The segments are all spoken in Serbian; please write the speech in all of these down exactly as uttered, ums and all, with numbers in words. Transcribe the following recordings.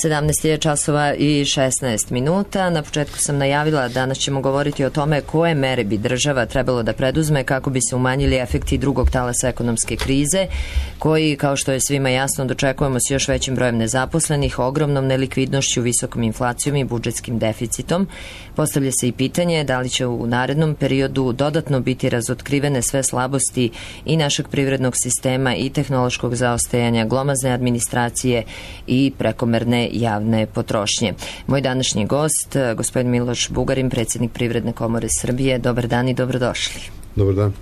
sedamnaest je časova i šesnaest minuta. Na početku sam najavila, danas ćemo govoriti o tome koje mere bi država trebalo da preduzme kako bi se umanjili efekti drugog talasa ekonomske krize, koji, kao što je svima jasno, dočekujemo s još većim brojem nezaposlenih, ogromnom nelikvidnošću, visokom inflacijom i budžetskim deficitom. Postavlja se i pitanje da li će u narednom periodu dodatno biti razotkrivene sve slabosti i našeg privrednog sistema i tehnološkog zaostajanja, glomazne administracije i prekomerne javne potrošnje. Moj današnji gost, gospodin Miloš Bugarin, predsjednik Privredne komore Srbije. Dobar dan i dobrodošli. Dobar dan.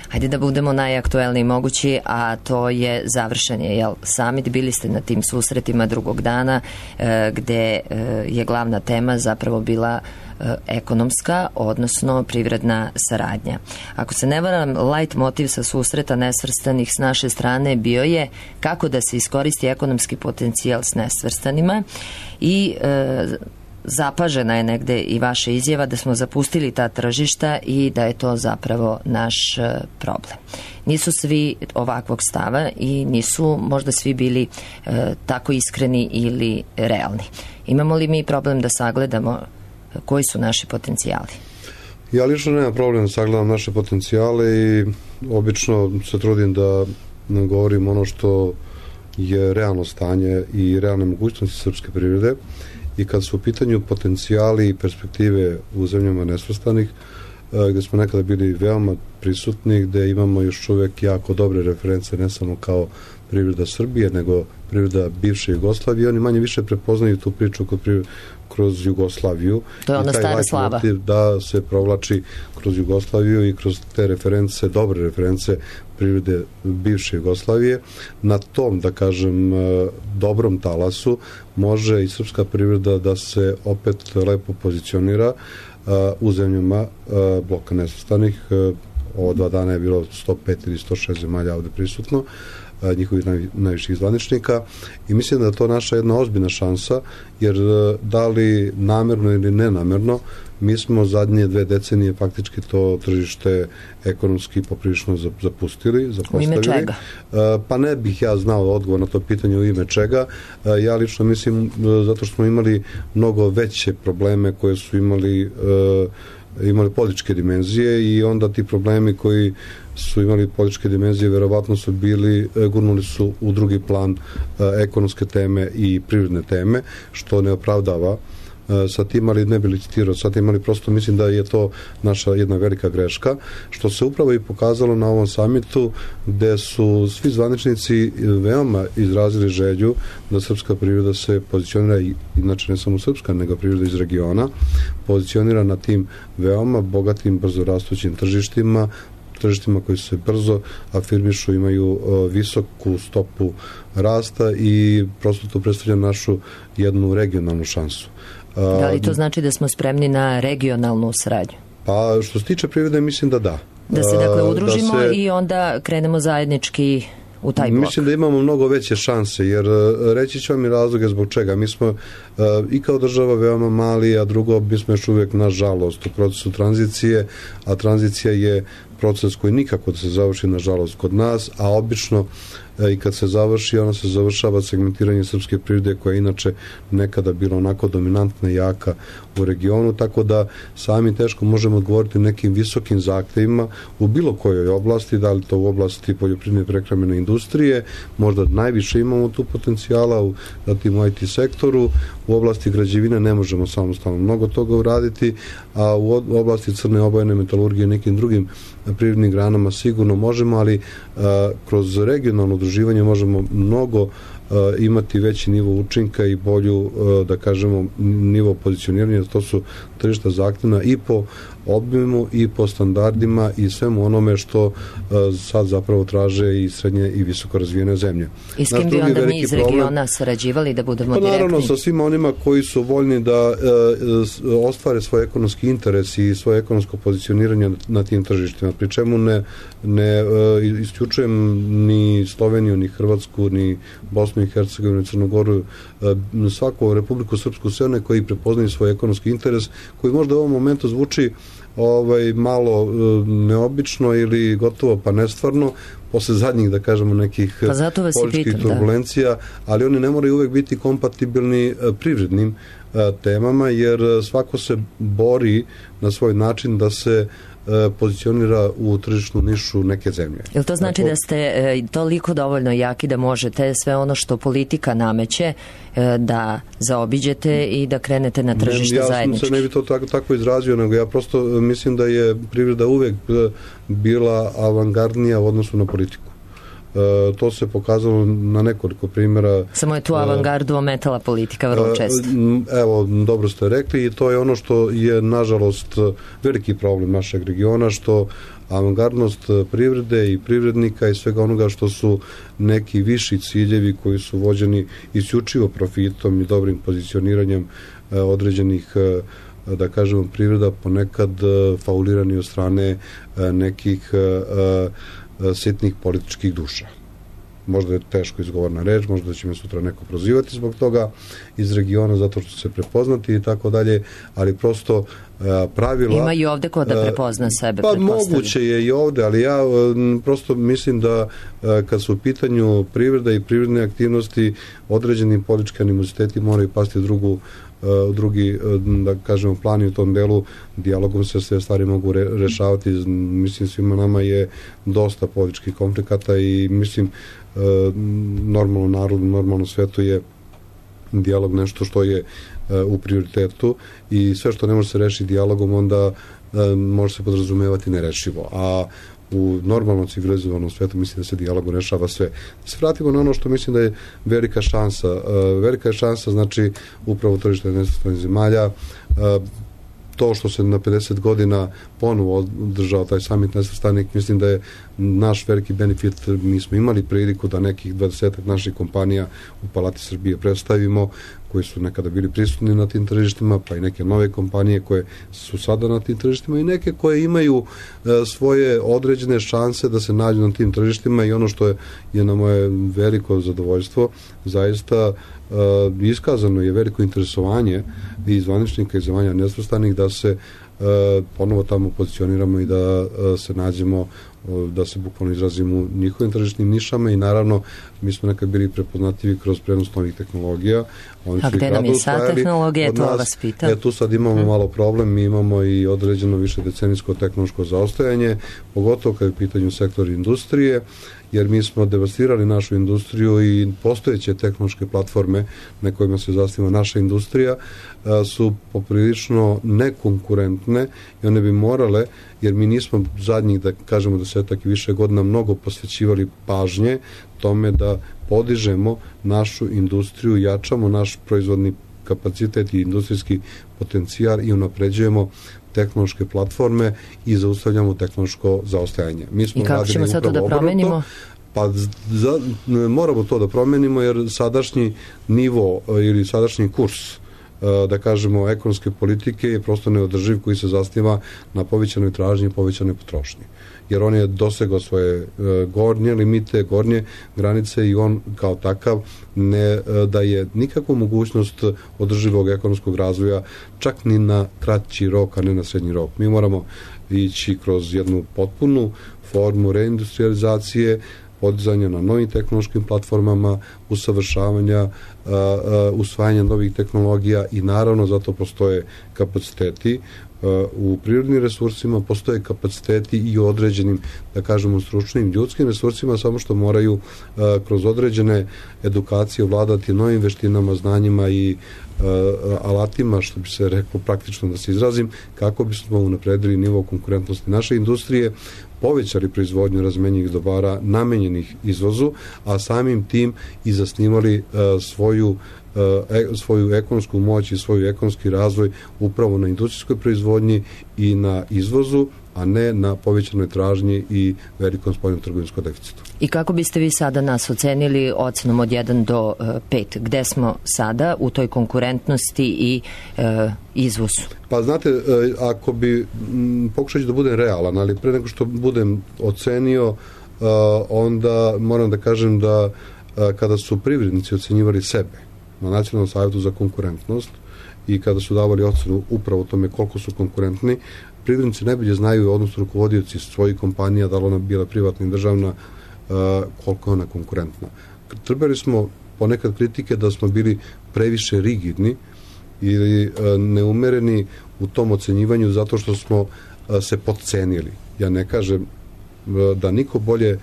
Hajde da budemo najaktuelniji mogući, a to je završen je jel, summit. Bili ste na tim susretima drugog dana e, gde e, je glavna tema zapravo bila e, ekonomska, odnosno privredna saradnja. Ako se ne varam, light motiv sa susreta nesvrstanih s naše strane bio je kako da se iskoristi ekonomski potencijal s nesvrstanima i e, zapažena je negde i vaša izjava da smo zapustili ta tržišta i da je to zapravo naš problem. Nisu svi ovakvog stava i nisu možda svi bili e, tako iskreni ili realni. Imamo li mi problem da sagledamo koji su naši potencijali? Ja lično nemam problem da sagledam naše potencijale i obično se trudim da govorim ono što je realno stanje i realne mogućnosti srpske privrede. I kad su u pitanju potencijali i perspektive u zemljama nesvrstanih, gde smo nekada bili veoma prisutni, gde imamo još uvek jako dobre reference, ne samo kao privreda Srbije, nego privreda bivše Jugoslavije. Oni manje više prepoznaju tu priču kroz Jugoslaviju. To je ona stara slava. Da se provlači kroz Jugoslaviju i kroz te reference, dobre reference privrede bivše Jugoslavije. Na tom, da kažem, dobrom talasu može i srpska privreda da se opet lepo pozicionira u zemljama bloka nesvrstanih. Ovo dva dana je bilo sto pet ili sto šest zemalja ovde prisutno, njihovih naj, najviših zvaničnika, i mislim da je to naša jedna ozbiljna šansa, jer da li namerno ili nenamerno, mi smo zadnje dve decenije faktički to tržište ekonomski poprilično zapustili, zapostavili. U ime čega? Pa ne bih ja znao odgovor na to pitanje u ime čega. Ja lično mislim zato što smo imali mnogo veće probleme koje su imali imali političke dimenzije i onda ti problemi koji su imali političke dimenzije verovatno su bili, gurnuli su u drugi plan ekonomske teme i privredne teme, što ne opravdava sa tim, ali ne bi licitirao sa tim, ali prosto mislim da je to naša jedna velika greška, što se upravo i pokazalo na ovom samitu, gde su svi zvaničnici veoma izrazili želju da srpska privreda se pozicionira, inače ne samo srpska, nego privreda iz regiona, pozicionira na tim veoma bogatim, brzo rastućim tržištima, tržištima koji se brzo afirmišu, imaju visoku stopu rasta i prosto to predstavlja našu jednu regionalnu šansu. Da li to znači da smo spremni na regionalnu saradnju? Pa što se tiče privrede, mislim da da. Da se dakle udružimo da se, i onda krenemo zajednički u taj blok. Mislim da imamo mnogo veće šanse, jer reći ću vam i razloge zbog čega. Mi smo i kao država veoma mali, a drugo, mi smo još uvijek, nažalost, u procesu tranzicije, a tranzicija je proces koji nikako da se završi, nažalost, kod nas, a obično i kad se završi, ona se završava segmentiranje srpske privrede koja je inače nekada bila onako dominantna i jaka u regionu, tako da sami teško možemo odgovoriti nekim visokim zahtevima u bilo kojoj oblasti, da li to u oblasti poljoprivredne prehrambene industrije, možda najviše imamo tu potencijala, u, zatim u I T sektoru, u oblasti građevine ne možemo samostalno mnogo toga uraditi, a u oblasti crne obojene metalurgije i nekim drugim privrednim granama sigurno možemo, ali a, kroz regionalno udruživanje možemo mnogo a, imati veći nivo učinka i bolju, a, da kažemo, nivo pozicioniranja. To su tržišta zahtevna i po obimu i po standardima i svemu onome što a, sad zapravo traže i srednje i visoko razvijene zemlje. I s kim bi onda mi iz regiona sarađivali, da budemo pa, direktni? Naravno, sa svima onima koji su voljni da a, ostvare svoj ekonomski interes i svoje ekonomsko pozicioniranje na tim tržištima, pri čemu ne, ne a, isključujem ni Sloveniju, ni Hrvatsku, ni Bosnu Bosnu i Hercegovinu, Crnu Goru, svaku Republiku Srpsku, sve one koji prepoznaju svoj ekonomski interes, koji možda u ovom momentu zvuči ovaj, malo neobično ili gotovo pa nestvarno, posle zadnjih, da kažemo, nekih pa političkih turbulencija, da. Ali oni ne moraju uvek biti kompatibilni privrednim temama, jer svako se bori na svoj način da se pozicionira u tržišnu nišu neke zemlje. Jel to znači Tako... da ste e, toliko dovoljno jaki da možete sve ono što politika nameće e, da zaobiđete i da krenete na tržište ja zajednički? Ja sam se ne bi to tako, tako izrazio, nego ja prosto mislim da je privreda uvek bila avangardnija u odnosu na politiku. E, to se pokazalo na nekoliko primjera. Samo je tu avangardu ometala politika vrlo često. Evo, dobro ste rekli i to je ono što je nažalost veliki problem našeg regiona, što avangardnost privrede i privrednika i svega onoga što su neki viši ciljevi koji su vođeni isključivo profitom i dobrim pozicioniranjem određenih, da kažemo, privreda ponekad faulirani od strane nekih sitnih političkih duša. Možda je teško izgovorna reč, možda će me sutra neko prozivati zbog toga iz regiona, zato što se prepoznati i tako dalje, ali prosto pravila... Ima i ovde ko da prepozna sebe, pa moguće je i ovde, ali ja prosto mislim da kad su u pitanju privreda i privredne aktivnosti, određeni politički animoziteti moraju pasti drugu u drugi, da kažemo, plan i u tom delu dijalogom se sve stvari mogu re, rešavati. Mislim, svima nama je dosta političkih konflikata i mislim, normalno narodu, normalno svetu je dijalog nešto što je u prioritetu i sve što ne može se rešiti dijalogom, onda može se podrazumevati nerešivo. A u normalnom civilizovanom svetu mislim da se dijalogom rešava sve. Da se vratimo na ono što mislim da je velika šansa. Velika je šansa, znači, upravo tržište nesvrstanih zemalja. To što se na pedeset godina ponovo održao taj samit nesvrstanih, mislim da je naš veliki benefit. Mi smo imali priliku da nekih dvadesetak naših kompanija u Palati Srbije predstavimo, koji su nekada bili prisutni na tim tržištima, pa i neke nove kompanije koje su sada na tim tržištima i neke koje imaju e, svoje određene šanse da se nađu na tim tržištima i ono što je, je na moje veliko zadovoljstvo, zaista e, iskazano je veliko interesovanje i zvaničnika i zvanja nesvrstanih da se e, ponovo tamo pozicioniramo i da e, se nađemo, da se bukvalno izrazimo u njihovim tržišnim nišama i naravno mi smo nekad bili prepoznatljivi kroz prenos novih tehnologija. Oni A gde nam je sad tehnologija, to vas pita? E, tu sad imamo hmm. malo problem, mi imamo i određeno više decenijsko tehnološko zaostajanje, pogotovo kad je u pitanju sektor industrije, jer mi smo devastirali našu industriju i postojeće tehnološke platforme na kojima se zasniva naša industrija su poprilično nekonkurentne i one bi morale, jer mi nismo zadnjih, da kažemo, desetak i više godina mnogo posvećivali pažnje tome da podižemo našu industriju, jačamo naš proizvodni kapacitet i industrijski potencijal i unapređujemo tehnološke platforme i zaustavljamo tehnološko zaostajanje. Mi smo I kako ćemo sad to da promenimo? Pa za, moramo to da promenimo jer sadašnji nivo ili sadašnji kurs, da kažemo, ekonomske politike je prosto neodrživ, koji se zasniva na povećanoj tražnji i povećanoj potrošnji. Jer on je dosegao svoje gornje limite, gornje granice i on kao takav ne daje nikakvu mogućnost održivog ekonomskog razvoja, čak ni na kraći rok, a ne na srednji rok. Mi moramo ići kroz jednu potpunu formu reindustrializacije, podizanja na novim tehnološkim platformama, usavršavanja, uh, uh, usvajanja novih tehnologija i naravno zato postoje kapaciteti uh, u prirodnim resursima, postoje kapaciteti i u određenim, da kažemo, stručnim ljudskim resursima, samo što moraju uh, kroz određene edukacije vladati novim veštinama, znanjima i uh, alatima, što bi se reklo praktično da se izrazim, kako bismo unapredili nivo konkurentnosti naše industrije, povećali proizvodnju razmenjivih dobara namenjenih izvozu, a samim tim i zasnivali uh, svoju, uh, e, svoju ekonomsku moć i svoj ekonomski razvoj upravo na industrijskoj proizvodnji i na izvozu, a ne na povećanoj tražnji i velikom spoljnom trgovinskom deficitu. I kako biste vi sada nas ocenili ocenom od jedan do pet? Gde smo sada u toj konkurentnosti i e, izvozu? Pa znate, ako bi, pokušat ću da budem realan, ali pre nego što budem ocenio, onda moram da kažem da kada su privrednici ocenjivali sebe na Nacionalnom savjetu za konkurentnost i kada su davali ocenu upravo tome koliko su konkurentni, privrednici najbolje znaju, odnosno rukovodioci svojih kompanija, da li ona bila privatna i državna, koliko je ona konkurentna. Trebali smo ponekad kritike da smo bili previše rigidni ili neumereni u tom ocenjivanju zato što smo se podcenili. Ja ne kažem da niko bolje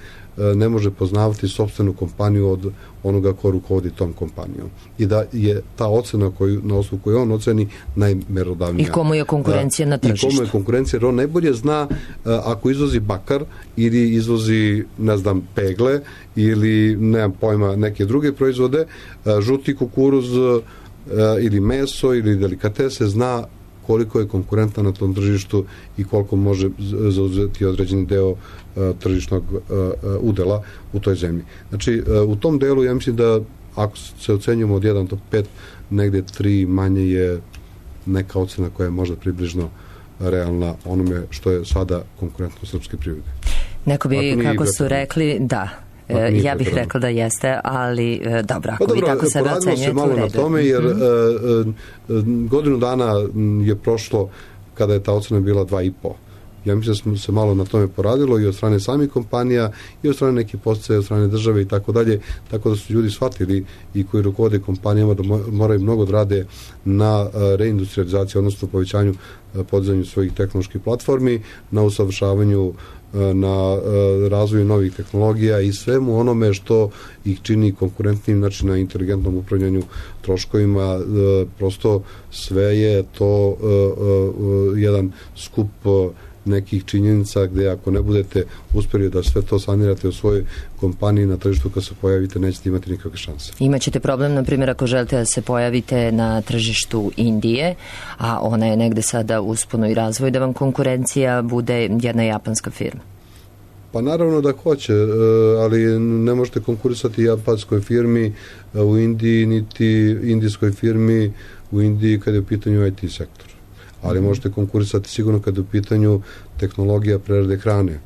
ne može poznavati sopstvenu kompaniju od onoga ko rukovodi tom kompanijom. I da je ta ocena koju, na osnovu koju on oceni najmerodavnija. I komu je konkurencija na tržištu. I komu je konkurencija, jer on najbolje zna ako izvozi bakar ili izvozi, ne znam, pegle ili, nemam pojma, neke druge proizvode, žuti kukuruz ili meso ili delikatese, zna koliko je konkurentna na tom tržištu i koliko može zauzeti određeni deo uh, tržišnog uh, udela u toj zemlji. Znači, uh, u tom delu ja mislim da ako se ocenjujemo od jedan do pet, negde tri manje je neka ocena koja je možda približno realna onome što je sada konkurentno srpske privrede. Neko bi, kako su rekli, da. Ja bih rekla da jeste, ali dobro, ako pa vi tako sebe ocenjujete u redu. Malo na tome, jer mm-hmm. uh, godinu dana je prošlo kada je ta ocena bila dva i po. Ja mislim da smo se malo na tome poradilo i od strane samih kompanija i od strane neke posticaje, od strane države i tako dalje, tako da su ljudi shvatili i koji rukovode kompanijama da moraju mnogo da rade na reindustrializaciji, odnosno povećanju, podizanju svojih tehnoloških platformi, na usavršavanju, na razvoju novih tehnologija i svemu onome što ih čini konkurentnim, znači na inteligentnom upravljanju troškovima. Prosto sve je to jedan skup nekih činjenica gde ako ne budete uspjeli da sve to sanirate u svojoj kompaniji na tržištu kad se pojavite, nećete imati nikakve šanse. Imaćete problem, na primjer, ako želite da se pojavite na tržištu Indije, a ona je negde sada u usponoj razvoju, da vam konkurencija bude jedna japanska firma. Pa naravno da hoće, ali ne možete konkurisati japanskoj firmi u Indiji, niti indijskoj firmi u Indiji kada je u pitanju I T sektor. Ali možete konkurisati sigurno kada je u pitanju tehnologija prerade hrane,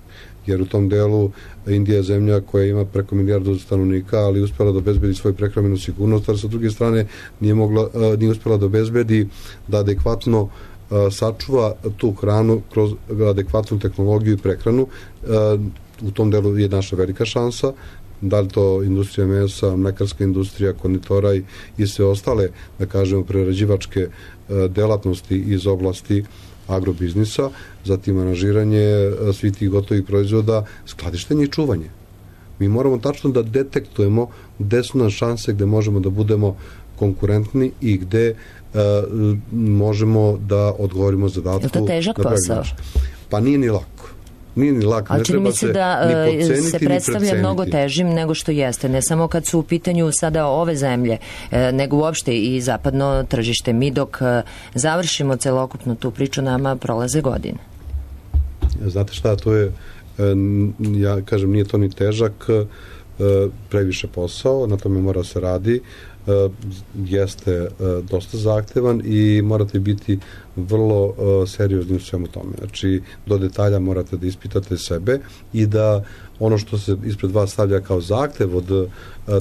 jer u tom delu Indija je zemlja koja ima preko milijardu stanovnika, ali uspjela da obezbedi svoju prehrambenu sigurnost, ali sa druge strane nije, mogla, nije uspjela da obezbedi da adekvatno sačuva tu hranu kroz adekvatnu tehnologiju i prehranu. U tom delu je naša velika šansa, da li to industrija mesa, mlekarska industrija, konditora i, i sve ostale, da kažemo, prerađivačke delatnosti iz oblasti agrobiznisa, zatim aranžiranje svih tih gotovih proizvoda, skladištenje i čuvanje. Mi moramo tačno da detektujemo gde su nam šanse, gde možemo da budemo konkurentni i gde uh, možemo da odgovorimo zadatku. Je to težak posao? Pa nije ni lako. Nije ni lako. Ali čini mi se da se predstavlja mnogo težim nego što jeste. Ne samo kad su u pitanju sada ove zemlje, nego uopšte i zapadno tržište. Mi dok završimo celokupnu tu priču, nama prolaze godine. Znate šta, to je, ja kažem, nije to ni težak, previše posao, na tome mora se radi, jeste dosta zahtevan i morate biti vrlo seriozni u svemu tome. Znači, do detalja morate da ispitate sebe i da ono što se ispred vas stavlja kao zahtev od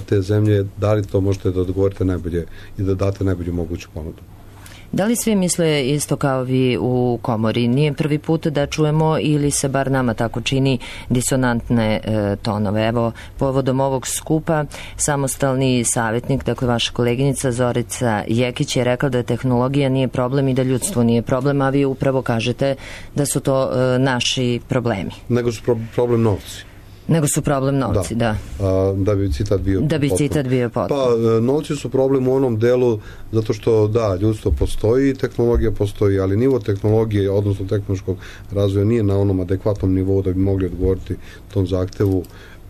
te zemlje, da li to možete da odgovorite najbolje i da date najbolju moguću ponudu. Da li svi misle isto kao vi u komori? Nije prvi put da čujemo, ili se bar nama tako čini, disonantne e, tonove? Evo, povodom ovog skupa, samostalni savjetnik, dakle vaša koleginica Zorica Jekić je rekla da tehnologija nije problem i da ljudstvo nije problem, a vi upravo kažete da su to e, naši problemi. Nego su pro- problem novci. Nego su problem novci, da. Da, a, da bi citat bio Da bi potpuno. citat bio potpuno. Pa, novci su problem u onom delu zato što, da, ljudstvo postoji, tehnologija postoji, ali nivo tehnologije, odnosno tehnološkog razvoja nije na onom adekvatnom nivou da bi mogli odgovoriti tom zahtevu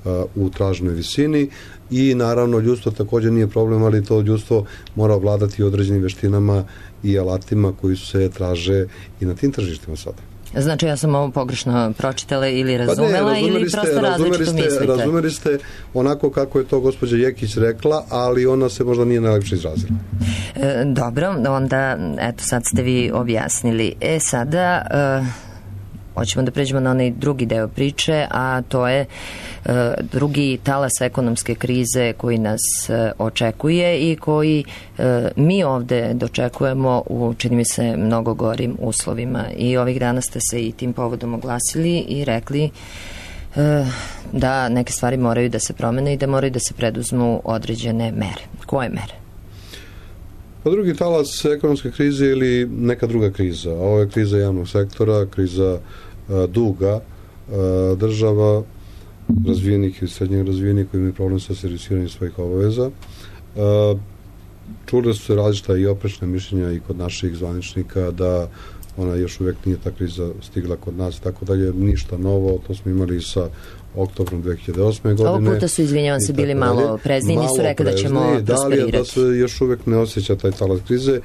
a, u traženoj visini i naravno ljudstvo također nije problem, ali to ljudstvo mora vladati određenim veštinama i alatima koji se traže i na tim tržištima sada. Znači, ja sam ovo pogrešno pročitala ili razumela, pa ne, ili prosto ste, različito ste, mislite? Razumeli ste onako kako je to gospođa Jekić rekla, ali ona se možda nije najlepše izrazila. E, dobro, onda, eto, sad ste vi objasnili. E, sada... E, hoćemo da pređemo na onaj drugi deo priče, a to je e, drugi talas ekonomske krize koji nas e, očekuje i koji e, mi ovde dočekujemo u, čini mi se, mnogo gorim uslovima. I ovih dana ste se i tim povodom oglasili i rekli e, da neke stvari moraju da se promene i da moraju da se preduzmu određene mere. Koje mere? Pa drugi talas ekonomske krize ili neka druga kriza. Ovo je kriza javnog sektora, kriza a, duga a, država, razvijenih i srednjih razvijenih koji imaju problem sa servisiranjem svojih obaveza. A, čule su se različita i oprečna mišljenja i kod naših zvaničnika da ona još uvijek nije ta kriza stigla kod nas, tako dalje, ništa novo, to smo imali sa oktobrom dve hiljade osme. godine. Ovog puta su, izvinjavam se, bili malo prezni, nisu rekli da ćemo prosperirati. Da, da se još uvijek ne osjeća taj talas krize.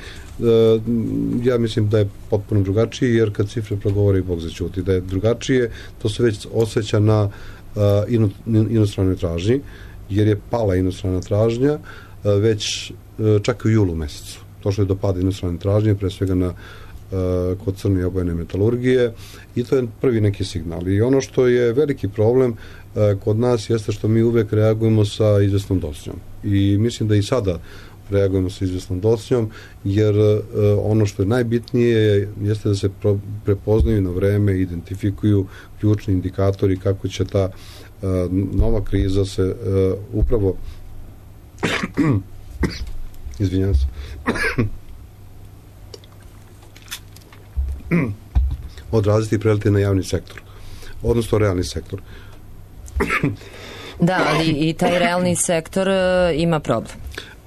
Ja mislim da je potpuno drugačiji, jer kad cifre progovore, Bog začuti. Da je drugačije, to se već osjeća na inostranoj tražnji, jer je pala inostrana tražnja već čak u julu mesecu. Došlo je do pada inostrane tražnje, pre svega na kod crne i obojene metalurgije, i to je prvi neki signal. I ono što je veliki problem kod nas jeste što mi uvek reagujemo sa izvesnom docnjom. I mislim da i sada reagujemo sa izvesnom docnjom, jer ono što je najbitnije jeste da se prepoznaju na vreme, identifikuju ključni indikatori kako će ta nova kriza se upravo izvinjam se odraziti i preliti na javni sektor, odnosno realni sektor. Da, ali i taj realni sektor ima problem.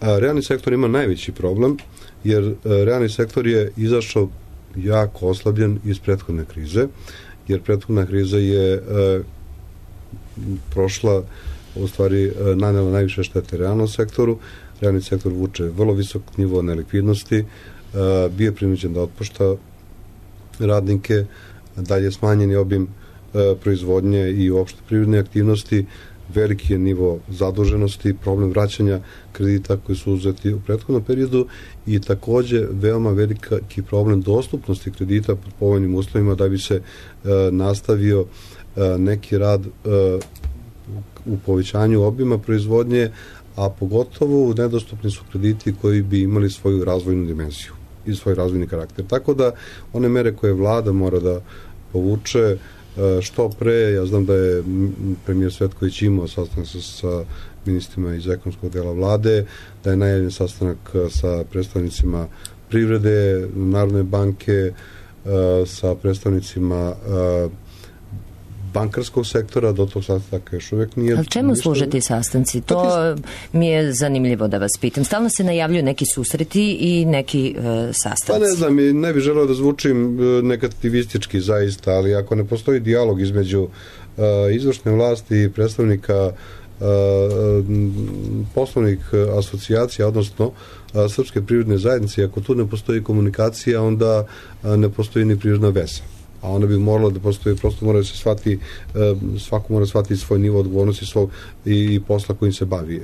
A, realni sektor ima najveći problem, jer a, realni sektor je izašao jako oslabljen iz prethodne krize, jer prethodna kriza je a, prošla, u stvari a, nanela najviše štete realnom sektoru. Realni sektor vuče vrlo visok nivo nelikvidnosti, a, bio je prinuđen da otpušta radnike, dalje smanjeni obim e, proizvodnje i uopšte privredne aktivnosti, veliki je nivo zaduženosti, problem vraćanja kredita koji su uzeti u prethodnom periodu i takođe veoma veliki problem dostupnosti kredita pod povoljnim uslovima da bi se e, nastavio e, neki rad e, u povećanju obima proizvodnje, a pogotovo nedostupni su krediti koji bi imali svoju razvojnu dimenziju i svoj razvojni karakter. Tako da one mere koje vlada mora da povuče što pre, ja znam da je premijer Cvetković imao sastanak sa, sa ministrima iz ekonomskog dela vlade, da je najavljen sastanak sa predstavnicima privrede, Narodne banke, sa predstavnicima bankarskog sektora, do tog sastanka još uvijek nije. Ali čemu služe ti sastanci? To mi je zanimljivo da vas pitam. Stalno se najavljuju neki susreti i neki e, sastanci. Pa ne znam, ne bih želeo da zvučim negativistički zaista, ali ako ne postoji dijalog između e, izvršne vlasti i predstavnika e, poslovnih asocijacija, odnosno e, Srpske privredne zajednice, ako tu ne postoji komunikacija, onda e, ne postoji ni prirodna veza. A ona bi morala da postoji, prosto mora da se shvati, svako mora shvatiti svoj nivo odgovornosti svog i posla kojim se bavi.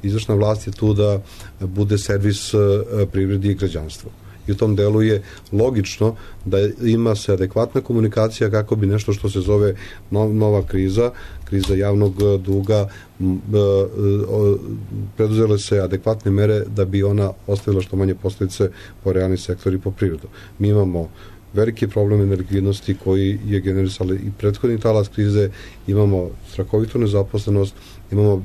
Izvršna vlast je tu da bude servis privredi i građanstvu. I u tom delu je logično da ima se adekvatna komunikacija kako bi nešto što se zove nova kriza, kriza javnog duga, preduzele se adekvatne mere da bi ona ostavila što manje posljedice po realni sektor i po privredu. Mi imamo veliki problem nelikvidnosti koji je generisali i prethodni talas krize, imamo strahovitu nezaposlenost, imamo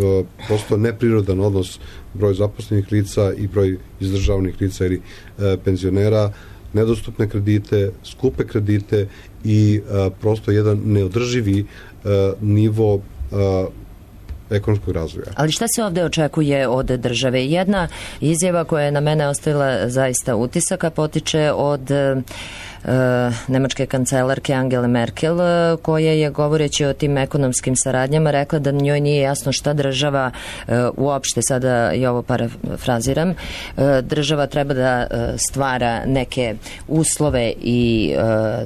e, prosto neprirodan odnos broj zaposlenih lica i broj izdržavanih lica ili e, penzionera, nedostupne kredite, skupe kredite i e, prosto jedan neodrživi e, nivo e, ekonomskog razvoja. Ali šta se ovde očekuje od države? Jedna izjava koja je na mene ostavila zaista utisaka potiče od e, nemačke kancelarke Angele Merkel, koja je, govoreći o tim ekonomskim saradnjama, rekla da njoj nije jasno šta država e, uopšte, sada i ovo parafraziram, e, država treba da e, stvara neke uslove i e,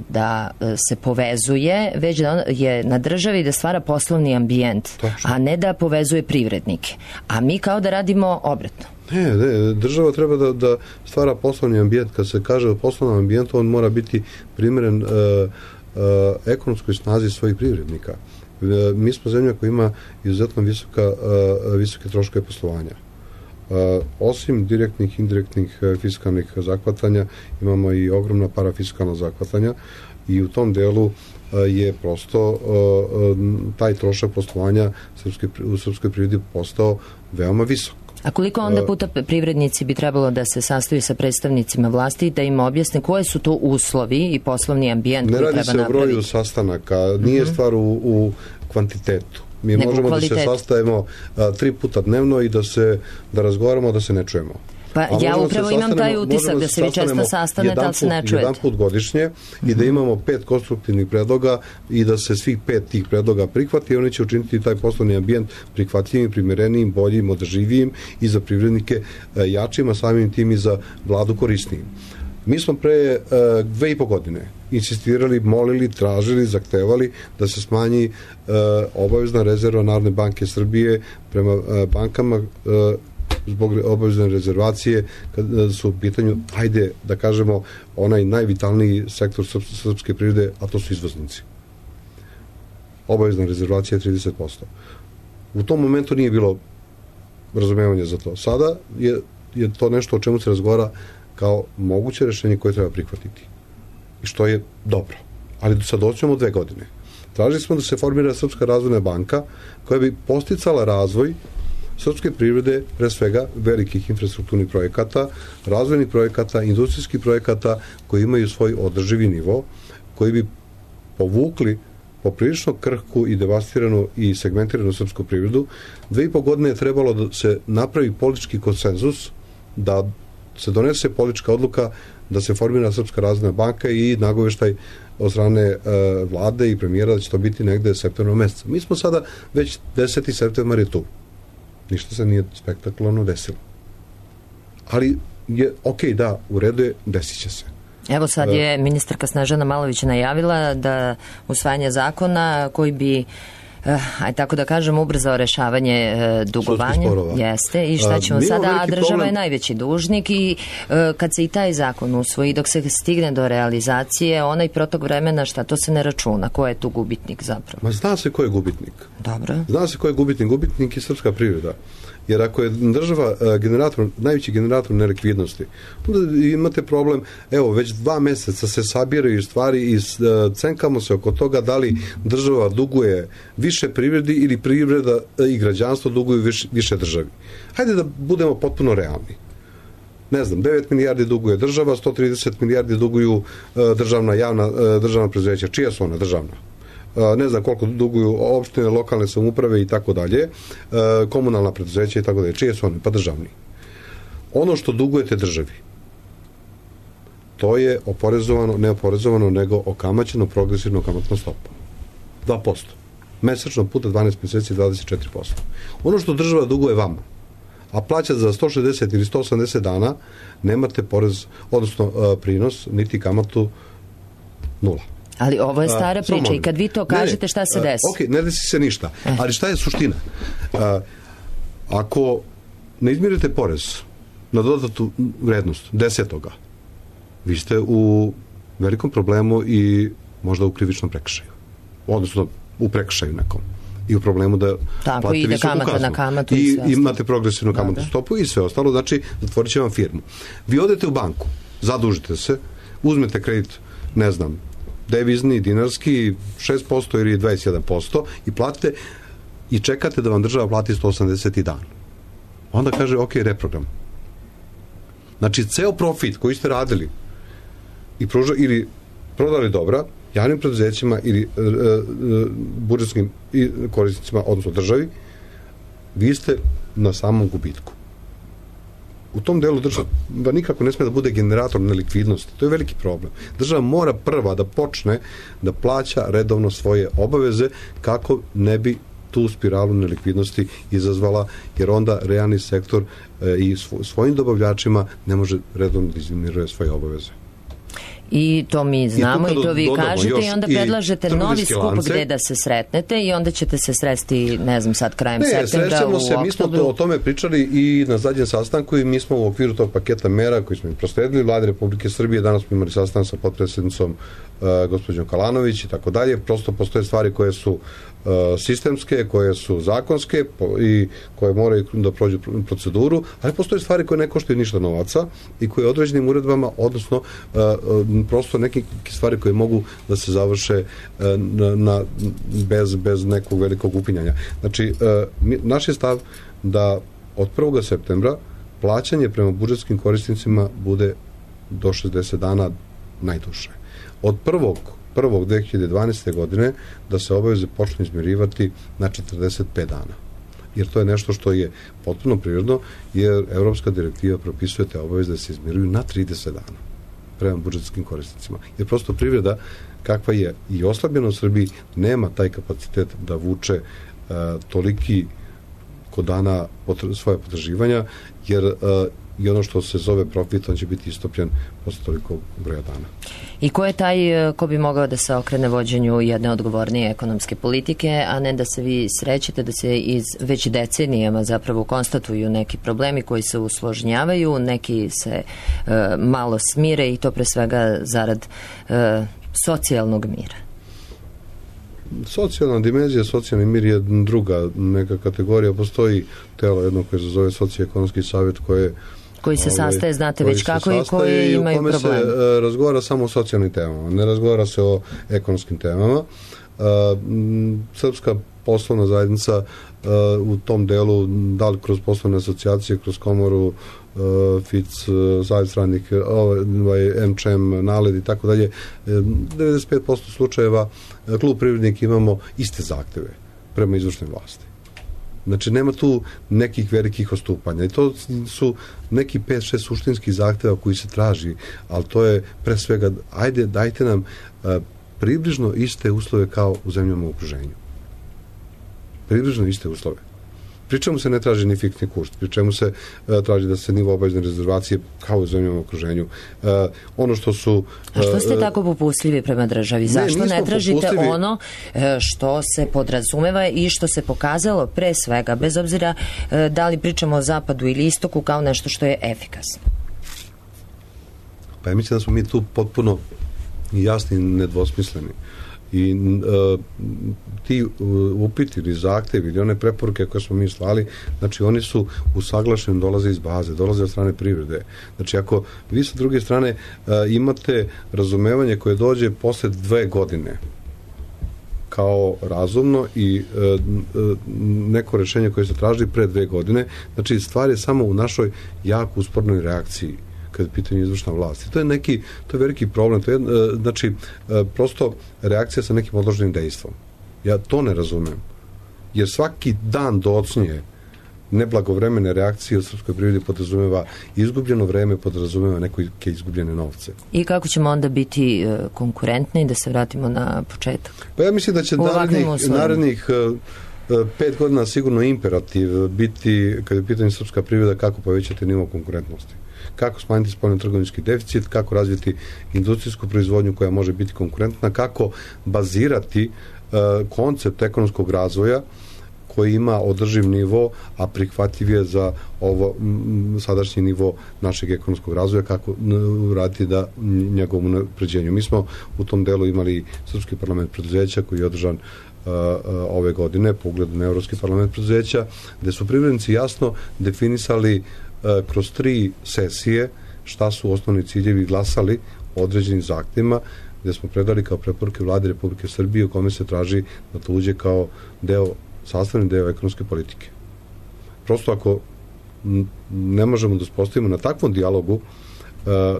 da se povezuje, već da je na državi da stvara poslovni ambijent, Točno. a ne da povezuje privrednike. A mi kao da radimo obratno. Ne, ne, država treba da, da stvara poslovni ambijent. Kad se kaže o poslovnom ambijentu, on mora biti primjeren e, ekonomskoj snazi svojih privrednika. Mi smo zemlja koja ima izuzetno visoka, visoke troškove poslovanja. Osim direktnih, indirektnih fiskalnih zahvatanja, imamo i ogromna parafiskalna zahvatanja i u tom delu je prosto taj trošak poslovanja u srpskoj privredi postao veoma visok. A koliko onda puta privrednici bi trebalo da se sastaju sa predstavnicima vlasti da im objasne koje su to uslovi i poslovni ambijent koji treba napraviti? Ne radi se o broju sastanaka, nije stvar u, u kvantitetu. Mi Nego možemo kvalitet. Da se sastajemo a, tri puta dnevno i da se da razgovaramo, da se ne čujemo. Pa ja upravo imam taj utisak da se vi često sastanete, ali se ne čujete. Jedan put godišnje mm-hmm. i da imamo pet konstruktivnih predloga i da se svih pet tih predloga prihvati i oni će učiniti taj poslovni ambijent prihvatljivim, primerenijim, boljim, održivijim i za privrednike jačim, a samim tim i za vladu korisnijim. Mi smo pre uh, dve i po godine insistirali, molili, tražili, zahtevali da se smanji uh, obavezna rezerva Narodne banke Srbije prema uh, bankama uh, zbog obavezne rezervacije kad su u pitanju, ajde da kažemo, onaj najvitalniji sektor srpske privrede, a to su izvoznici. Obavezna rezervacija je trideset posto. U tom momentu nije bilo razumevanja za to. Sada je, je to nešto o čemu se razgovara kao moguće rešenje koje treba prihvatiti. I što je dobro. Ali sad doćemo dve godine. Tražili smo da se formira Srpska razvojna banka koja bi posticala razvoj srpske privrede, pre svega velikih infrastrukturnih projekata, razvojnih projekata, industrijskih projekata koji imaju svoj održivi nivo, koji bi povukli poprilično krhku i devastiranu i segmentiranu srpsku privredu. Dve i po godine je trebalo da se napravi politički konsenzus, da se donese politička odluka da se formira Srpska razvojna banka i nagoveštaj od strane e, vlade i premijera da će to biti negde septembra meseca. Mi smo sada već deseti septembar je tu. Ništa se nije spektakularno desilo. Ali je ok, da, u redu je, desit će se. Evo sad je ministarka Snežana Malović najavila da usvajanje zakona koji bi Uh, aj tako da kažem, ubrzao rešavanje uh, dugovanja. Jeste. I šta ćemo uh, sada? A država problem. Je najveći dužnik i uh, kad se i taj zakon usvoji, dok se stigne do realizacije, onaj protok vremena, šta, to se ne računa. Ko je tu gubitnik zapravo? Ma zna se ko je gubitnik. Dobro. Zna se ko je gubitnik. Gubitnik je srpska privreda. Jer ako je država uh, generator, najveći generator nelikvidnosti, onda imate problem, evo, već dva meseca se sabiraju stvari i uh, cenkamo se oko toga da li država duguje više privredi ili privreda uh, i građanstvo duguju više, više državi. Hajde da budemo potpuno realni. Ne znam, devet milijardi duguje država, sto trideset milijardi duguju uh, državna, javna, uh, državna preduzeća. Čija su ona državna? Ne znam koliko duguju opštine, lokalne samouprave i tako dalje, komunalna preduzeća i tako dalje. Čije su one? Pa državni. Ono što dugujete državi, to je oporezovano, ne oporezovano, nego okamaćeno progresivno kamatno stopa. dva posto. Mesečno puta dvanaest meseci dvadeset četiri posto. Ono što država duguje vama, a plaća za sto šezdeset ili sto osamdeset dana, nemate porez, odnosno prinos, niti kamatu nula. Ali ovo je stara a, priča i kad vi to kažete, ne, šta se desi? Ok, ne desi se ništa. Eh. Ali šta je suština? A, ako ne izmirite porez na dodatu vrednost desetoga, vi ste u velikom problemu i možda u krivičnom prekršaju. Odnosno u prekršaju nekom. I u problemu da tako, platite visoku kaznu. Na kamatu i, I imate progresivnu kamatnu stopu i sve ostalo. Znači, zatvorit će vam firmu. Vi odete u banku, zadužite se, uzmete kredit, ne znam, devizni, dinarski, šest posto ili dvadeset jedan posto i platite i čekate da vam država plati sto osamdeset dan. Onda kaže, ok, reprogram. Znači, ceo profit koji ste radili i pruža, ili prodali dobra javnim preduzećima ili e, e, budžetskim korisnicima, odnosno državi, vi ste na samom gubitku. U tom delu država nikako ne sme da bude generator nelikvidnosti. To je veliki problem. Država mora prva da počne da plaća redovno svoje obaveze kako ne bi tu spiralu nelikvidnosti izazvala, jer onda realni sektor e, i svojim dobavljačima ne može redovno da izmiruje svoje obaveze. I to mi znamo i, i to vi kažete i onda predlažete novi skup lance. Gde da se sretnete i onda ćete se sresti, ne znam, sad krajem ne, septembra u se, oktobru. Mi smo to, o tome pričali i na zadnjem sastanku i mi smo u okviru tog paketa mera koji smo im prosledili Vlade Republike Srbije, danas smo imali sastanak sa potpredsjednicom uh, gospođom Kalanović i tako dalje. Prosto postoje stvari koje su uh, sistemske, koje su zakonske po, i koje moraju da prođu proceduru, ali postoje stvari koje ne koštaju ništa novaca i koje određenim uredbama, odnosno uh, uh, prosto neke stvari koje mogu da se završe uh, na, na, bez, bez nekog velikog upinjanja. Znači, uh, mi, naš je stav da od prvog septembra plaćanje prema budžetskim korisnicima bude do šezdeset dana najduže. Od prvog prvog dve hiljade dvanaeste. godine da se obaveze počnu izmirivati na četrdeset pet dana. Jer to je nešto što je potpuno prirodno, jer Evropska direktiva propisuje te obaveze da se izmiruju na trideset dana prema budžetskim korisnicima. Jer prosto privreda, kakva je i oslabljena u Srbiji, nema taj kapacitet da vuče uh, toliki kod dana potr- svoje potraživanja, jer uh, i ono što se zove profit, on će biti istopljen posle toliko broja dana. I ko je taj ko bi mogao da se okrene vođenju jedne odgovornije ekonomske politike, a ne da se vi srećete da se iz već decenijama zapravo konstatuju neki problemi koji se usložnjavaju, neki se e, malo smire i to pre svega zarad e, socijalnog mira? Socijalna dimenzija, socijalni mir je druga neka kategorija. Postoji telo jedno koje se zove Socioekonomski savjet koje koji se ovaj, sastaje, znate već kako i koji imaju problem. U kome se uh, razgovara samo o socijalnim temama, ne razgovara se o ekonomskim temama. Uh, Srpska poslovna zajednica uh, u tom delu, da li kroz poslovne asocijacije, kroz komoru, uh, F I C, uh, Savjet stranih, ovaj, M Č M, Naled i tako dalje, devedeset pet posto slučajeva uh, klub Privrednik imamo iste zahteve prema izvršnoj vlasti. Znači, nema tu nekih velikih odstupanja. I to su neki pet šest suštinskih zahteva koji se traži, ali to je pre svega, ajde, dajte nam uh, približno iste uslove kao u zemljama u okruženju. Približno iste uslove. Pri čemu se ne traži ni fiksni kurs, pri čemu se uh, traži da se nivo obavezne rezervacije kao u zemljama u okruženju. Uh, ono što su... Uh, A što ste tako popustljivi prema državi? Zašto ne, ne tražite popustljivi... ono što se podrazumeva i što se pokazalo pre svega, bez obzira uh, da li pričamo o zapadu ili istoku, kao nešto što je efikasno? Pa ja mislim da smo mi tu potpuno jasni i nedvosmisleni. I uh, ti uh, upiti ili zahtevi ili one preporuke koje smo mi slali, znači oni su usaglašeni, dolaze iz baze, dolaze od strane privrede. Znači ako vi sa druge strane uh, imate razumevanje koje dođe posle dve godine kao razumno i uh, uh, neko rešenje koje se traži pre dve godine, znači stvar je samo u našoj jako uspornoj reakciji kada je pitanje izvršna vlast. I to je neki, to je veliki problem. To je, znači, prosto reakcija sa nekim odloženim dejstvom. Ja to ne razumem. Jer svaki dan docnije neblagovremene reakcije u srpskoj privredi podrazumeva izgubljeno vreme, podrazumeva neke izgubljene novce. I kako ćemo onda biti konkurentni, da se vratimo na početak? Pa ja mislim da će narednih, narednih pet godina sigurno imperativ biti, kada je pitanje srpska privreda, kako povećati nivo konkurentnosti. Kako smanjiti spoljno-trgovinski deficit, kako razviti industrijsku proizvodnju koja može biti konkurentna, kako bazirati uh, koncept ekonomskog razvoja koji ima održiv nivo, a prihvatljiv je za ovo m, sadašnji nivo našeg ekonomskog razvoja, kako uraditi da njegovom unapređenju. Mi smo u tom delu imali Srpski parlament preduzeća koji je održan uh, uh, ove godine po ugledu na Evropski parlament preduzeća, gde su privrednici jasno definisali kroz tri sesije šta su osnovni ciljevi, glasali o određenim zahtjevima gde smo predali kao preporuke Vlade Republike Srbije u kome se traži da to uđe kao deo, sastavni deo ekonomske politike. Prosto ako ne možemo da uspostavimo na takvom dijalogu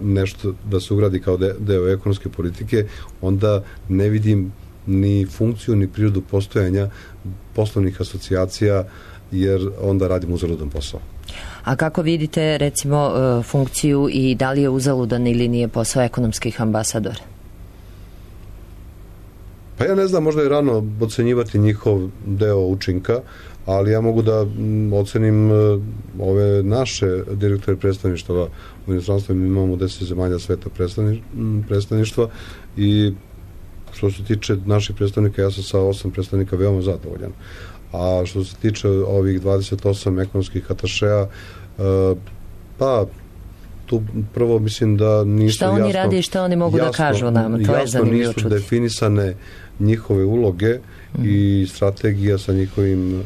nešto da se ugradi kao deo ekonomske politike, onda ne vidim ni funkciju ni prirodu postojanja poslovnih asocijacija, jer onda radimo uzaludan posao. A kako vidite, recimo, funkciju i da li je uzaludan ili nije posao ekonomskih ambasadora? Pa Pa ja ne znam, možda je rano ocenjivati njihov deo učinka, ali ja mogu da ocenim ove naše direktore predstavništva u inostranstvu. Mi imamo deset zemalja sveta predstavništva i što se tiče naših predstavnika, ja sam sa osam predstavnika veoma zadovoljan. A što se tiče ovih dvadeset osam ekonomskih atašeja, pa tu prvo mislim da nisu šta oni jasno, radi i šta oni mogu jasno, da kažu nama, to je zanimljivo čuti. Jasno nisu definisane njihove uloge mm. i strategija sa njihovim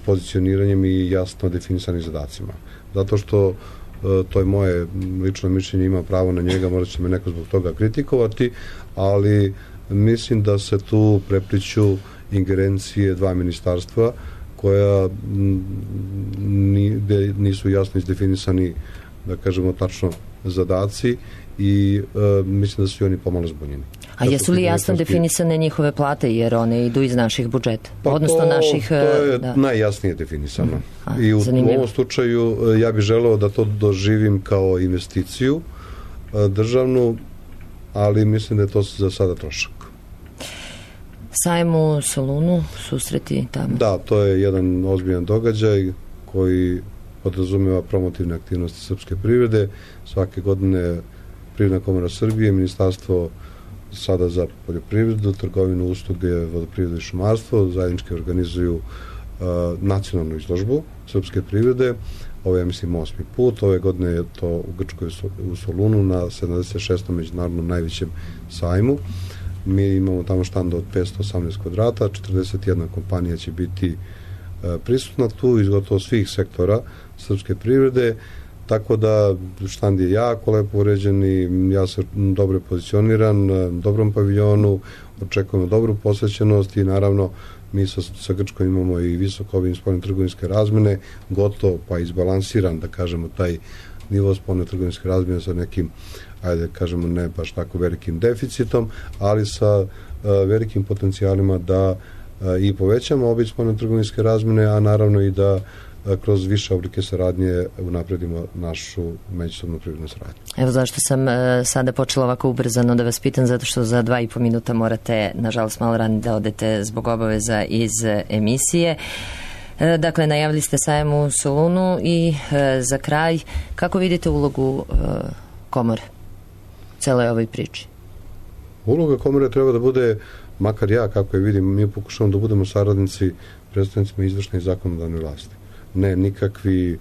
pozicioniranjem i jasno definisanim zadacima. Zato što to je moje lično mišljenje, ima pravo na njega, možda će me neko zbog toga kritikovati, ali mislim da se tu prepliću ingerencije dva ministarstva koja nisu jasno izdefinisani, da kažemo tačno, zadaci i e, mislim da su oni pomalo zbunjeni. A jesu li jasno definisane njihove plate, jer one idu iz naših budžeta? Pa odnosno to, naših, to je da. najjasnije definisano. A, I u, u ovom slučaju ja bih želeo da to doživim kao investiciju državnu, ali mislim da je to za sada trošak. Sajam u Solunu, susreti tamo? Da, to je jedan ozbiljan događaj koji podrazumeva promotivne aktivnosti srpske privrede. Svake godine Privredna komora Srbije, Ministarstvo sada za poljoprivredu, trgovinu, usluge, vodoprivredu i šumarstvo zajednički organizuju uh, nacionalnu izložbu srpske privrede. Ovo je, ja mislim, osmi put. Ove godine je to u Grčkoj u Solunu na sedamdeset šestom međunarodnom najvećem sajmu. Mi imamo tamo štand od petsto osamnaest kvadrata, četrdeset jedna kompanija će biti uh, prisutna tu iz gotovo svih sektora srpske privrede, tako da štand je jako lepo uređen i ja sam dobro pozicioniran, dobrom paviljonu, očekujemo dobru posvećenost i naravno mi sa, sa Grčkom imamo i visoko obim spoljne trgovinske razmene, gotovo pa izbalansiran, da kažemo, taj nivo spoljne trgovinske razmene sa nekim, ajde kažemo, ne baš tako velikim deficitom, ali sa uh, velikim potencijalima da uh, i povećamo obim spoljne trgovinske razmene, a naravno i da kroz više oblike saradnje unapredimo našu međusobnu privrednu saradnju. Evo zašto sam e, sada počela ovako ubrzano da vas pitam, zato što za dva i po minuta morate, nažalost, malo ranije da odete zbog obaveza iz emisije. E, dakle, najavili ste sajam u Solunu i e, za kraj, kako vidite ulogu e, komore u celoj ovoj priči? Uloga komore treba da bude, makar ja kako je vidim, mi pokušamo da budemo saradnici predstavnicima izvršne i zakonodavne vlasti. Ne nikakvi,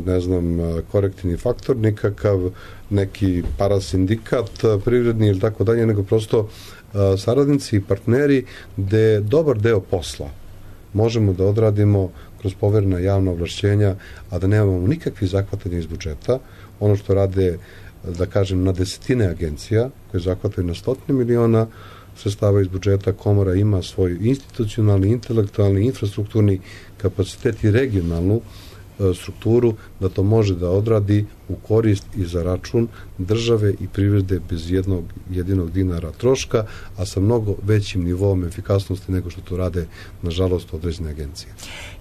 ne znam, korektivni faktor, nikakav neki parasindikat privredni ili tako dalje, nego prosto saradnici i partneri gde dobar deo posla možemo da odradimo kroz poverena javna ovlašćenja, a da nemamo nikakvi zahvatanja iz budžeta. Ono što rade, da kažem, na desetine agencija koje zahvataju na stotine miliona sredstava iz budžeta, komora ima svoj institucionalni, intelektualni, infrastrukturni kapacitet i regionalnu e, strukturu da to može da odradi u korist i za račun države i privrede bez jednog jedinog dinara troška, a sa mnogo većim nivom efikasnosti nego što to rade, nažalost, određene agencije.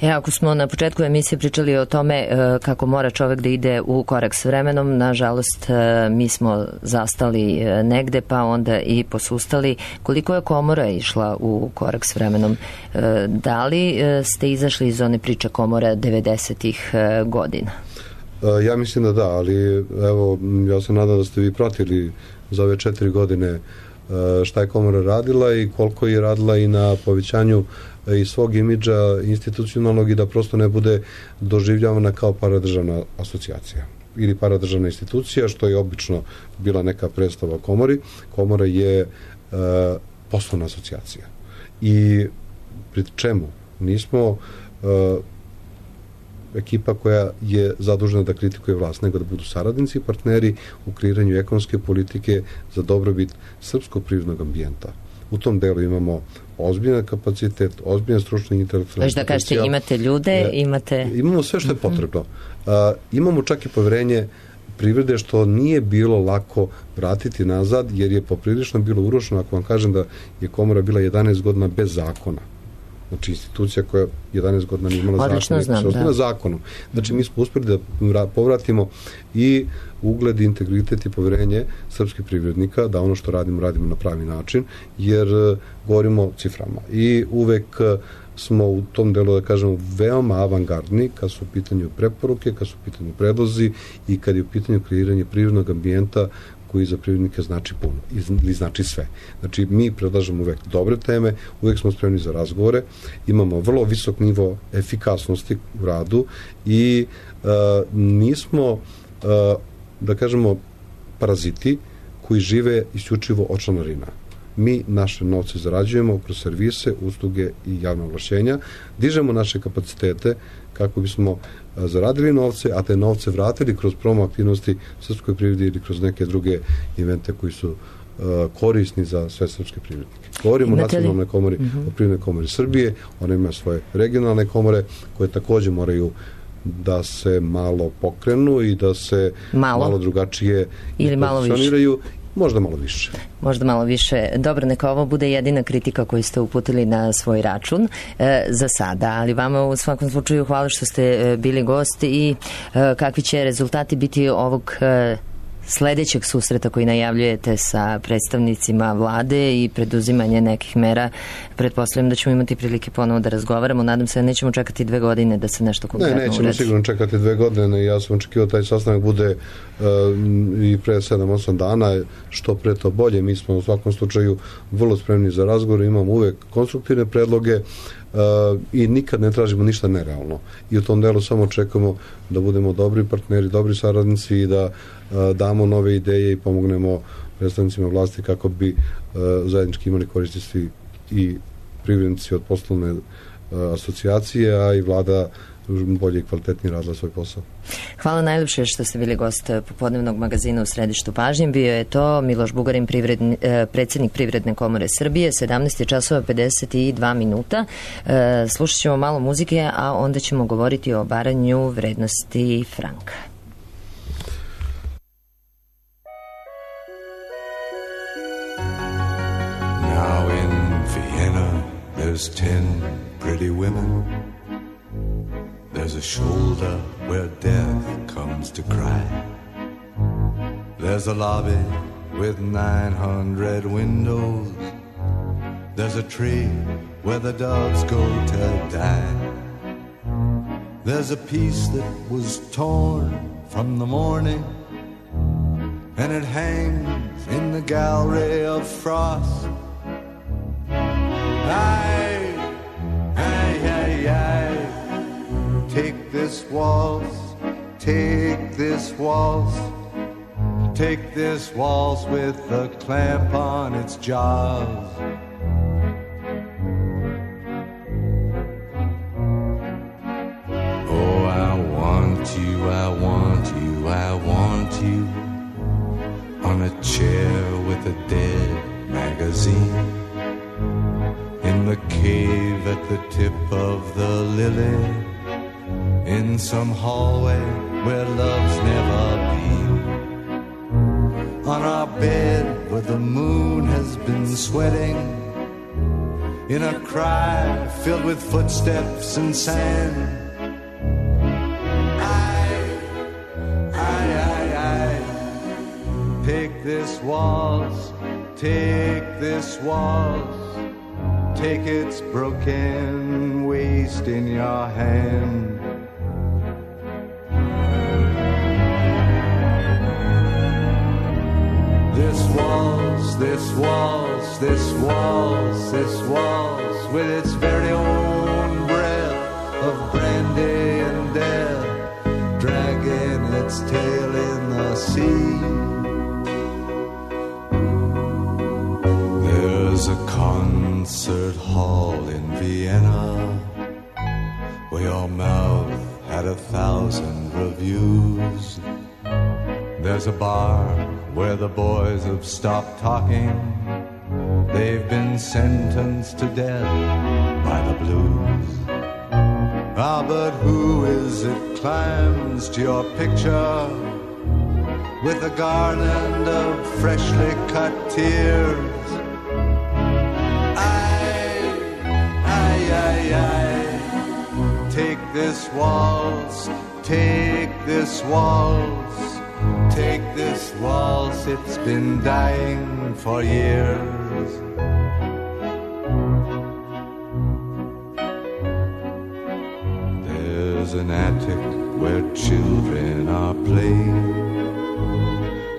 E, ako smo na početku emisije pričali o tome e, kako mora čovek da ide u korak s vremenom, nažalost, e, mi smo zastali e, negde, pa onda i posustali. Koliko je komora išla u korak s vremenom? E, da li e, ste izašli iz one priče komora devedesetih e, godina? Ja mislim da da, ali evo, ja se nadam da ste vi pratili za ove četiri godine šta je komora radila i koliko je radila i na povećanju i svog imidža institucionalnog i da prosto ne bude doživljavana kao paradržavna asocijacija ili paradržavna institucija, što je obično bila neka predstava o komori. Komora je e, poslovna asocijacija. I pri čemu nismo e, ekipa koja je zadužena da kritikuje vlast, nego da budu saradnici i partneri u kreiranju ekonomske politike za dobrobit srpskog privrednog ambijenta. U tom delu imamo ozbiljan kapacitet, ozbiljan stručni i intelektualni potencijal. Da kažete, imate ljude, imate... Imamo sve što je potrebno. Uh, imamo čak i poverenje privrede, što nije bilo lako vratiti nazad, jer je poprilično bilo urušeno. Ako vam kažem da je komora bila jedanaest godina bez zakona, Znači, institucija koja jedanaest godina nije imala Odlično zakon, znam, da. zakonom. Znači, mi smo uspjeli da povratimo i ugled, integritet i poverenje srpskih privrednika, da ono što radimo, radimo na pravi način, jer govorimo o ciframa. I uvek smo u tom delu, da kažemo, veoma avangardni kad su u pitanju preporuke, kad su u pitanju predlozi i kad je u pitanju kreiranje privrednog ambijenta koji za privrednike znači puno ili znači sve. Znači, mi predlažemo uvek dobre teme, uvek smo spremni za razgovore, imamo vrlo visok nivo efikasnosti u radu i uh, nismo, uh, da kažemo, paraziti koji žive isključivo od članarina. Mi naše novce zarađujemo kroz servise, usluge i javne oglašenja, dižemo naše kapacitete kako bismo zaradili novce, a te novce vratili kroz promo aktivnosti srpskoj privredi ili kroz neke druge evente koji su uh, korisni za sve srpske privrednike. Govorimo o nacionalnoj komori, uh-huh. o privrednoj komori Srbije, ona ima svoje regionalne komore koje takođe moraju da se malo pokrenu i da se malo, malo drugačije ili malo više. Možda malo više. Možda malo više. Dobro, neka ovo bude jedina kritika koju ste uputili na svoj račun e, za sada, ali vama u svakom slučaju hvala što ste e, bili gost i e, kakvi će rezultati biti ovog e, sledećeg susreta koji najavljujete sa predstavnicima vlade i preduzimanje nekih mera. Pretpostavljam da ćemo imati prilike ponovo da razgovaramo. Nadam se da nećemo čekati dve godine da se nešto konkretno uredi. Ne, nećemo uredi. Sigurno čekati dve godine. Ja sam očekivao taj sastanak bude uh, i pre sedam osam dana, što pre to bolje. Mi smo u svakom slučaju vrlo spremni za razgovor, imamo uvek konstruktivne predloge uh, i nikad ne tražimo ništa nerealno. I u tom delu samo čekamo da budemo dobri partneri, dobri saradnici i da uh, damo nove ideje i pomognemo predstavnicima vlasti kako bi uh, zajednički imali koristi svi i privrednici od poslovne uh, asocijacije, a i vlada bolje i kvalitetnije radila svoj posao. Hvala najljepše što ste bili gost popodnevnog magazina u središtu pažnje. Bio je to Miloš Bugarin, privredni, predsjednik Privredne komore Srbije. sedamnaest časova pedeset dva minuta. Slušat ćemo malo muzike, a onda ćemo govoriti o obaranju vrednosti franka. Now in Vienna there's ten pretty women. There's a shoulder where death comes to cry. There's a lobby with nine hundred windows. There's a tree where the doves go to die. There's a piece that was torn from the morning, and it hangs in the gallery of frost. Aye, aye, aye, aye. Take this waltz, take this waltz, take this waltz with a clamp on its jaws. Oh, I want you, I want you, I want you on a chair with a dead magazine, in the cave at the tip of the lily, in some hallway where love's never been, on our bed where the moon has been sweating, in a cry filled with footsteps and sand. Aye, aye, aye, aye. Take this waltz, take this waltz, take its broken waist in your hand. This waltz, this waltz, this waltz, this waltz, with its very own breath of brandy and death, dragging its tail in the sea. There's a concert hall in Vienna where your mouth had a thousand reviews. There's a bar where the boys have stopped talking. They've been sentenced to death by the blues. Ah, but who is it climbs to your picture with a garland of freshly cut tears? Aye, aye, aye, this waltz, take this waltz, take this waltz, it's been dying for years. There's an attic where children are playing,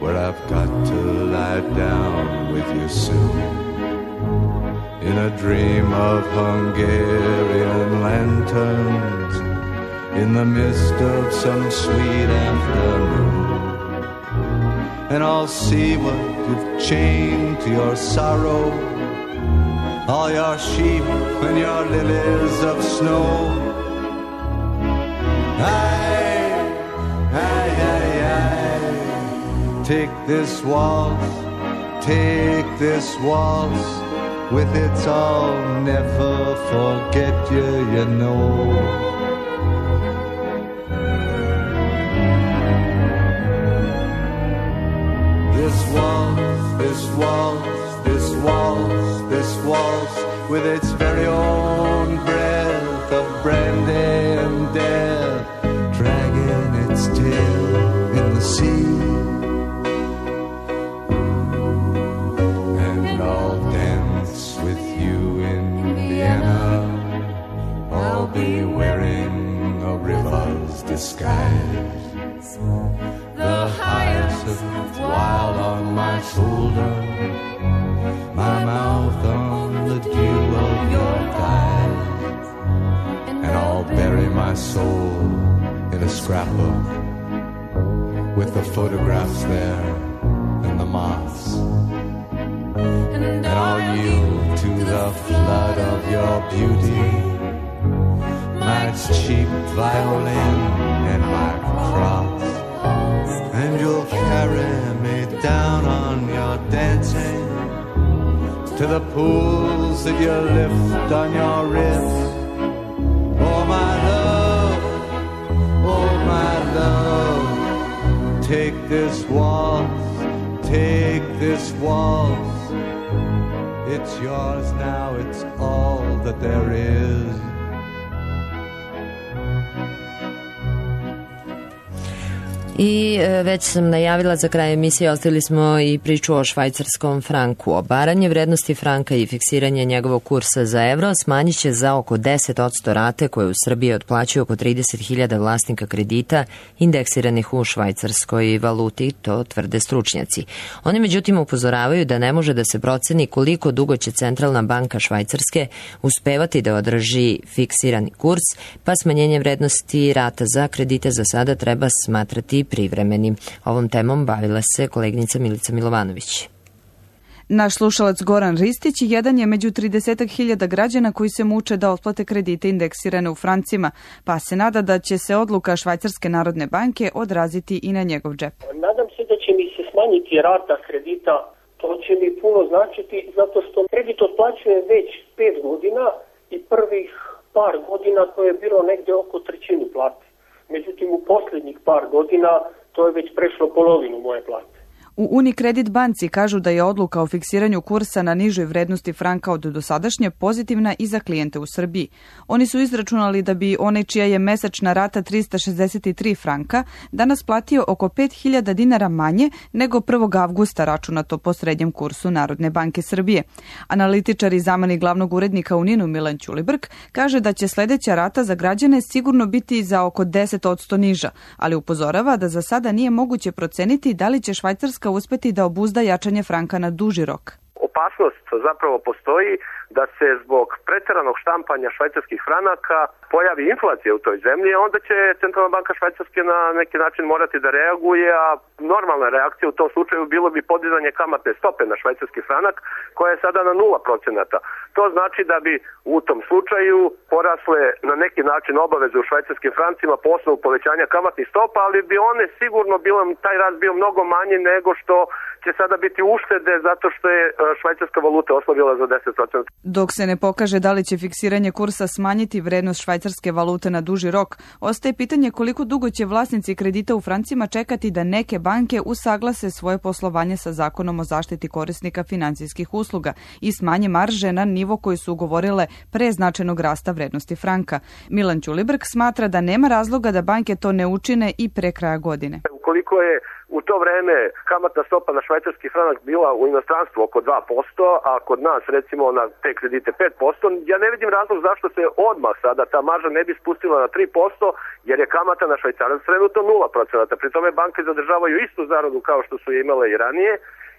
where I've got to lie down with you soon, in a dream of Hungarian lanterns, in the mist of some sweet afternoon. And I'll see what you've chained to your sorrow, all your sheep and your lilies of snow. Aye, aye, aye, aye. Take this waltz, take this waltz, with its I'll never forget you, you know. This waltz, this waltz, this waltz, this waltz, with its very own breath of brandy and death, dragging its tail in the sea. And I'll dance with you in Vienna, I'll be wearing a river's disguise, the hyacinth wild on my shoulder, my mouth on the dew of your thighs, and I'll bury my soul in a scrapbook with the photographs there and the moths, and I'll yield to the flood of your beauty, my cheap violin and my cross. And you'll carry me down on your dancing to the pools that you lift on your wrist. Oh my love, oh my love, take this waltz, take this waltz. It's yours now, it's all that there is. I već sam najavila za kraj emisije, ostavili smo i priču o švajcarskom franku. Obaranje vrednosti franka i fiksiranje njegovog kursa za evro smanjit će za oko deset posto rate koje u Srbiji otplaćuju oko trideset hiljada vlasnika kredita indeksiranih u švajcarskoj valuti, to tvrde stručnjaci. Oni međutim upozoravaju da ne može da se proceni koliko dugo će Centralna banka Švajcarske uspevati da održi fiksirani kurs, pa smanjenje vrednosti rata za kredite za sada treba smatrati privremenim. Ovom temom bavila se koleginica Milica Milovanović. Naš slušalac Goran Ristić jedan je među trideset hiljada građana koji se muče da otplate kredite indeksirane u francima, pa se nada da će se odluka Švajcarske narodne banke odraziti i na njegov džep. Nadam se da će mi se smanjiti rata kredita, to će mi puno značiti zato što kredit otplaćujem već pet godina i prvih par godina to je bilo negde oko trećinu plate. Međutim, u posljednjih par godina to je već prešlo polovinu moje plate. U Unicredit banci kažu da je odluka o fiksiranju kursa na nižoj vrednosti franka od dosadašnje pozitivna i za klijente u Srbiji. Oni su izračunali da bi onaj čija je mesečna rata trista šezdeset tri franka danas platio oko pet hiljada dinara manje nego prvog avgusta računato po srednjem kursu Narodne banke Srbije. Analitičar i zamenik glavnog urednika u Ninu Milan Ćulibrk kaže da će sledeća rata za građane sigurno biti za oko deset posto niža, ali upozorava da za sada nije moguće proceniti da li će Švajcarska uspeti da obuzda jačanje franka na duži rok. Opasnost zapravo postoji da se zbog preteranog štampanja švajcarskih franaka pojavi inflacija u toj zemlji, onda će Centralna banka Švajcarske na neki način morati da reaguje, a normalna reakcija u tom slučaju bilo bi podizanje kamatne stope na švajcarski franak, koja je sada na nula procenata. To znači da bi u tom slučaju porasle na neki način obaveze u švajcarskim francima po osnovu povećanja kamatnih stopa, ali bi one sigurno bilo, taj rast bio mnogo manji nego što će sada biti uštede zato što je švajcarska valuta oslabila za deset procenta. Dok se ne pokaže da li će fiksiranje kursa smanjiti vrednost švajcarske valute na duži rok, ostaje pitanje koliko dugo će vlasnici kredita u francima čekati da neke banke usaglase svoje poslovanje sa zakonom o zaštiti korisnika finansijskih usluga i smanje marže na nivo koji su ugovorile pre značajnog rasta vrednosti franka. Milan Ćulibrk smatra da nema razloga da banke to ne učine i pre kraja godine. Ukoliko je u to vreme kamatna stopa na švajcarski franak bila u inostranstvu oko dva posto, a kod nas recimo na te kredite pet posto, ja ne vidim razlog zašto se odmah sada ta marža ne bi spustila na tri posto, jer je kamata na švajcarac trenutno nula procenata. Pri tome banke zadržavaju istu zaradu kao što su je imale i ranije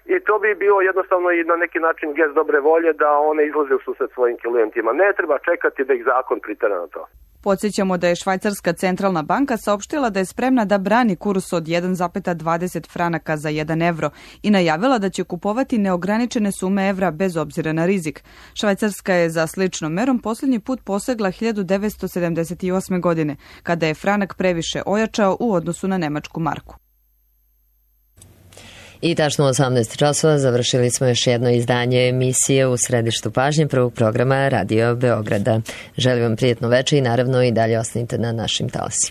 i to bi bio jednostavno i na neki način gest dobre volje da one izlaze u susret svojim klijentima. Ne treba čekati da ih zakon pritera na to. Podsjećamo da je Švajcarska centralna banka saopštila da je spremna da brani kurs od jedan zarez dvadeset franaka za jedan evro i najavila da će kupovati neograničene sume evra bez obzira na rizik. Švajcarska je za sličnom merom posljednji put posegla hiljadu devetsto sedamdeset osme. godine, kada je franak previše ojačao u odnosu na nemačku marku. I tačno u osamnaest časova završili smo još jedno izdanje emisije U središtu pažnje prvog programa Radio Beograda. Želim vam prijetno večer i naravno i dalje ostanite na našim talasima.